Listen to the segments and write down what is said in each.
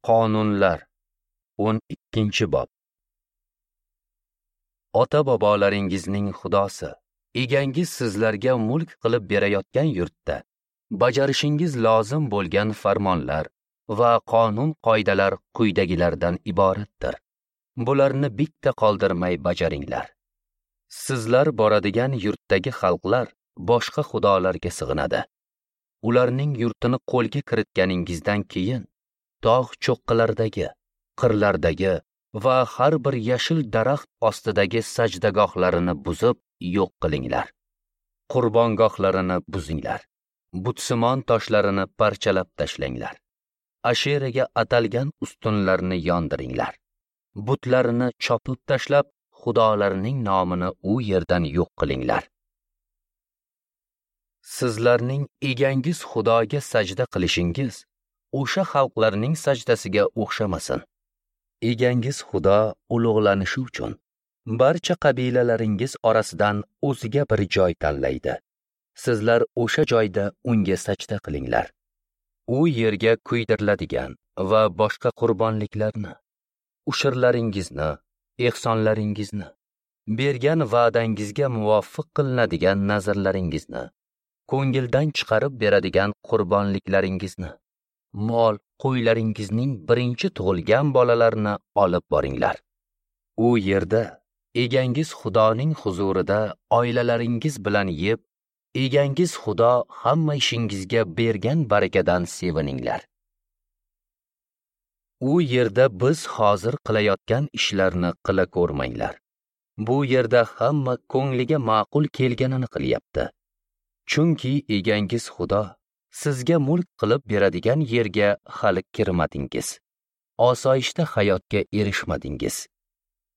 Qonunlar 12-bob. Ota-bobolaringizning Xudosi, egangiz sizlarga mulk qilib berayotgan yurtda bajarishingiz lozim bo'lgan farmonlar va qonun qoidalar quyidagilardan iboratdir. Bularni bitta qoldirmay bajaringlar. Sizlar boradigan yurtdagi xalqlar boshqa xudolarga sig'inadi. Ularning yurtini qo'lga kiritganingizdan keyin tog' cho'qqilaridagi, qirlardagi va har bir yashil daraxt ostidagi sajdagohlarini buzib yo'q qilinglar. Qurbongohlarini buzinglar. Butsimon toshlarini parchalab tashlanglar. Asheraga atalgan ustunlarni yondiringlar. Butlarini chopib tashlab, xudolarning nomini u yerdan yo'q qilinglar. Sizlarning egangiz Xudoga sajda qilishingiz o'sha xalqlarning sajdasiga o'xshamasin. Egangiz Xudo ulug'lanishi uchun barcha qabilalaringiz orasidan o'ziga bir joy tanlaydi. Sizlar o'sha joyda unga sajda qilinglar. U yerga kuydiriladigan va boshqa qurbonliklarni, ushurlaringizni, ehsonlaringizni, bergan va'dangizga muvofiq qilinadigan nazrlaringizni, ko'ngildan chiqarib beradigan qurbonliklaringizni, mol qo'ylaringizning birinchi tug'ilgan bolalarini olib boringlar. U yerda egangiz Xudoning huzurida oilalaringiz bilan yeb, egangiz Xudo hamma ishingizga bergan barakadan sevininglar. U yerda biz hozir qilayotgan ishlarni qila ko'rmanglar. Bu yerda hamma ko'ngliga ma'qul kelganini qilyapti. Chunki egangiz Xudo sizga mulk qilib beradigan yerga hali kirmadingiz. Osoyishta hayotga erishmadingiz.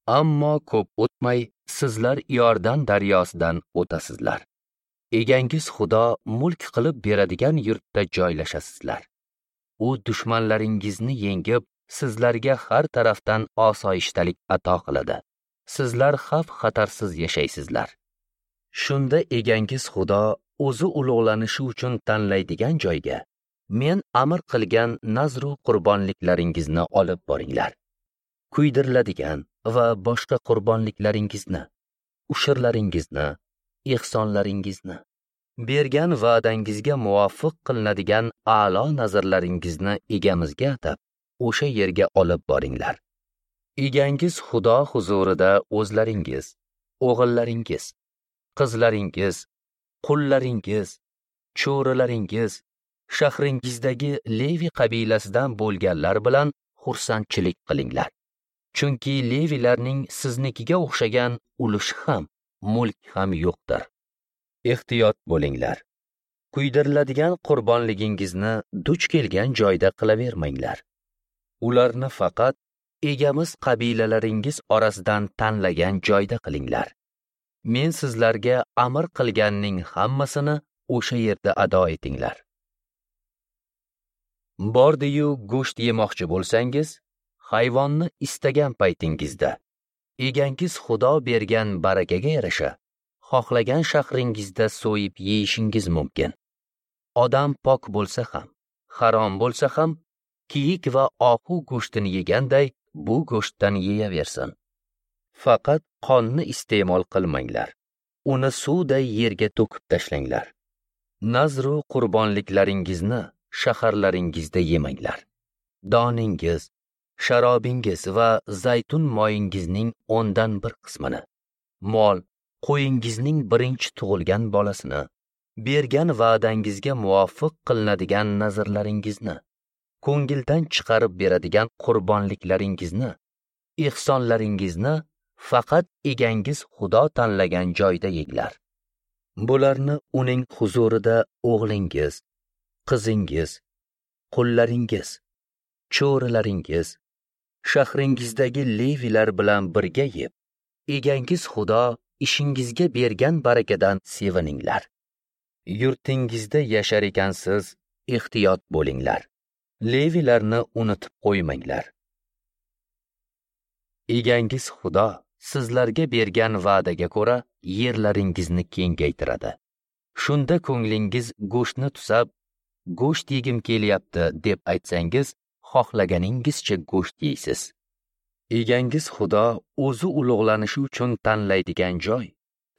Ammo ko'p o'tmay sizlar Iordan daryosidan o'tasizlar. Egangiz Xudo mulk qilib beradigan yurtda joylashasizlar. U dushmanlaringizni yengib, sizlarga har tarafdan osoyishtalik ato qiladi. Sizlar xavf-xatarsiz yashaysizlar. Shunda egangiz Xudo o'zi ulug'lanishi uchun tanlaydigan joyga men amr qilgan nazru qurbonliklaringizni olib boringlar. Kuydiriladigan va boshqa qurbonliklaringizni, ushurlaringizni, ehsonlaringizni, bergan va'dangizga muvofiq qilinadigan a'lo nazrlaringizni egamizga atab, o'sha yerga olib boringlar. Egangiz Xudo huzurida o'zlaringiz, o'g'illaringiz, qizlaringiz, qullaringiz, cho'rilaringiz, shahringizdagi Levi qabilasidan bo'lganlar bilan xursandchilik qilinglar. Chunki Levilarning siznikiga o'xshagan ulushi ham, mulk ham yo'qdir. Ehtiyot bo'linglar. Kuydiriladigan qurbonligingizni duch kelgan joyda qilavermanglar. Ularni faqat egamiz qabilalaringiz orasidan tanlagan joyda qilinglar. Men sizlarga amr qilganning hammasini o'sha yerda ado etinglar. Bordi-yu go'sht yemoqchi bo'lsangiz, hayvonni istagan paytingizda egangiz Xudo bergan barakaga yarasha xohlagan shahringizda so'yib yeyishingiz mumkin. Odam pok bo'lsa ham, harom bo'lsa ham, kiyik va ohu go'shtini yeganday bu go'shtdan yeyaversin. Faqat qonni iste'mol qilmanglar. Uni suvday yerga to'kib tashlanglar. Nazru qurbonliklaringizni shaharlaringizda yemanglar. Doningiz, sharobingiz va zaytun moyingizning 1/10 qismini, mol, qo'yingizning birinchi tug'ilgan bolasini, bergan va'dangizga muvofiq qilinadigan nazrlaringizni, ko'ngildan chiqarib beradigan qurbonliklaringizni, ehsonlaringizni faqat egangiz Xudo tanlagan joyda yenglar. Bularni uning huzurida o'g'lingiz, qizingiz, qullaringiz, cho'rilaringiz, shahringizdagi levilar bilan birga yeb, egangiz Xudo ishingizga bergan barakadan sevininglar. Yurtingizda yashar ekansiz, ehtiyot bo'linglar. Levilarni unutib qo'ymanglar. Egangiz Xudo sizlarga bergan va'daga ko'ra yerlaringizni kengaytiradi. Shunda ko'nglingiz go'shtni tusab, go'sht yegim kelyapti deb aytsangiz, xohlaganingizcha go'sht yeysiz. Egangiz Xudo o'zi ulug'lanishi uchun tanlaydigan joy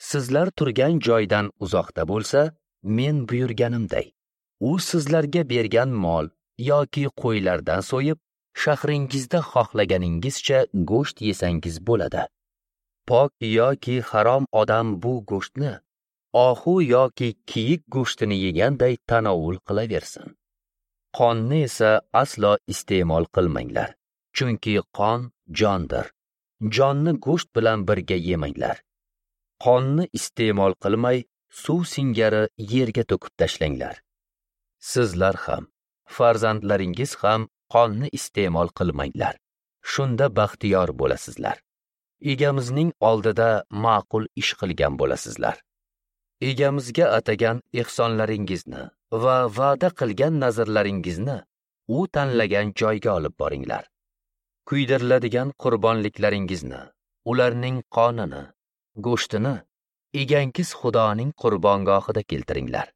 sizlar turgan joydan uzoqda bo'lsa, men buyurganimday, u sizlarga bergan mol yoki qo'ylardan so'yib, shahringizda xohlaganingizcha go'sht yesangiz bo'ladi. Pok yoki harom odam bu go'shtni ohu yoki kiyik go'shtini yeganday tanovul qilaversin. Qonni esa aslo iste'mol qilmanglar, chunki qon jondir. Jonni go'sht bilan birga yemanglar. Qonni iste'mol qilmay, suv singari yerga to'kib tashlanglar. Sizlar ham, farzandlaringiz ham qonni iste'mol qilmanglar. Shunda baxtiyor bo'lasizlar. Egamizning oldida ma'qul ish qilgan bo'lasizlar. Egamizga atagan ehsonlaringizni va va'da qilgan nazrlaringizni u tanlagan joyga olib boringlar. Kuydiriladigan qurbonliklaringizni, ularning qonini, go'shtini egangiz Xudoning qurbongohida keltiringlar.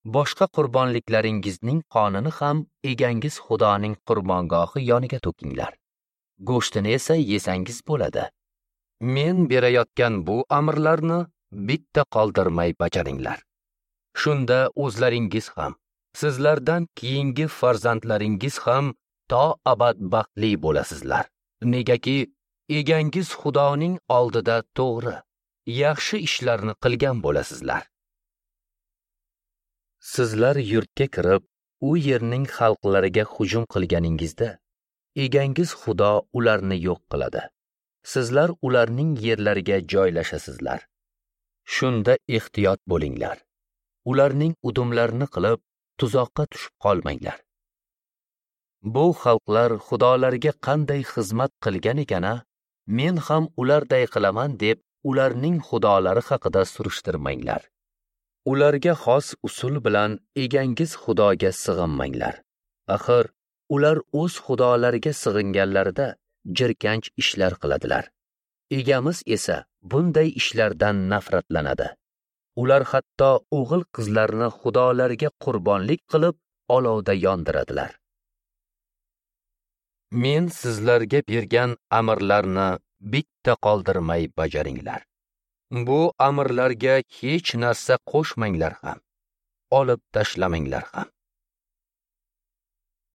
Boshqa qurbonliklaringizning qonini ham egangiz Xudoning qurbongohi yoniga to'kinglar. Go'shtini esa yesangiz bo'ladi. Men berayotgan bu amrlarni bitta qoldirmay bajaringlar. Shunda o'zlaringiz ham, sizlardan keyingi farzandlaringiz ham to abad baxtli bo'lasizlar. Negaki egangiz Xudoning oldida to'g'ri, yaxshi ishlarni qilgan bo'lasizlar. Sizlar yurtga kirib, u yerning xalqlariga hujum qilganingizda, egangiz Xudo ularni yo'q qiladi. Sizlar ularning yerlariga joylashasizlar. Shunda ehtiyot bo'linglar. Ularning udumlarini qilib, tuzoqqa tushib qolmanglar. Bu xalqlar xudolarga qanday xizmat qilgan ekana, men ham ularday qilaman deb ularning xudolari haqida surishtirmanglar. Ularga xos usul bilan egangiz Xudoga sig'inmanglar. Axir ular o'z xudolariga sig'inganlarida jirkanch ishlar qiladilar. Egamiz esa bunday ishlardan nafratlanadi. Ular hatto o'g'il qizlarni xudolarga qurbonlik qilib olovda yondiradilar. Men sizlarga bergan amrlarni bitta qoldirmay bajaringlar. Bu amrlarga hech narsa qo'shmanglar ham, olib tashlamanglar ham.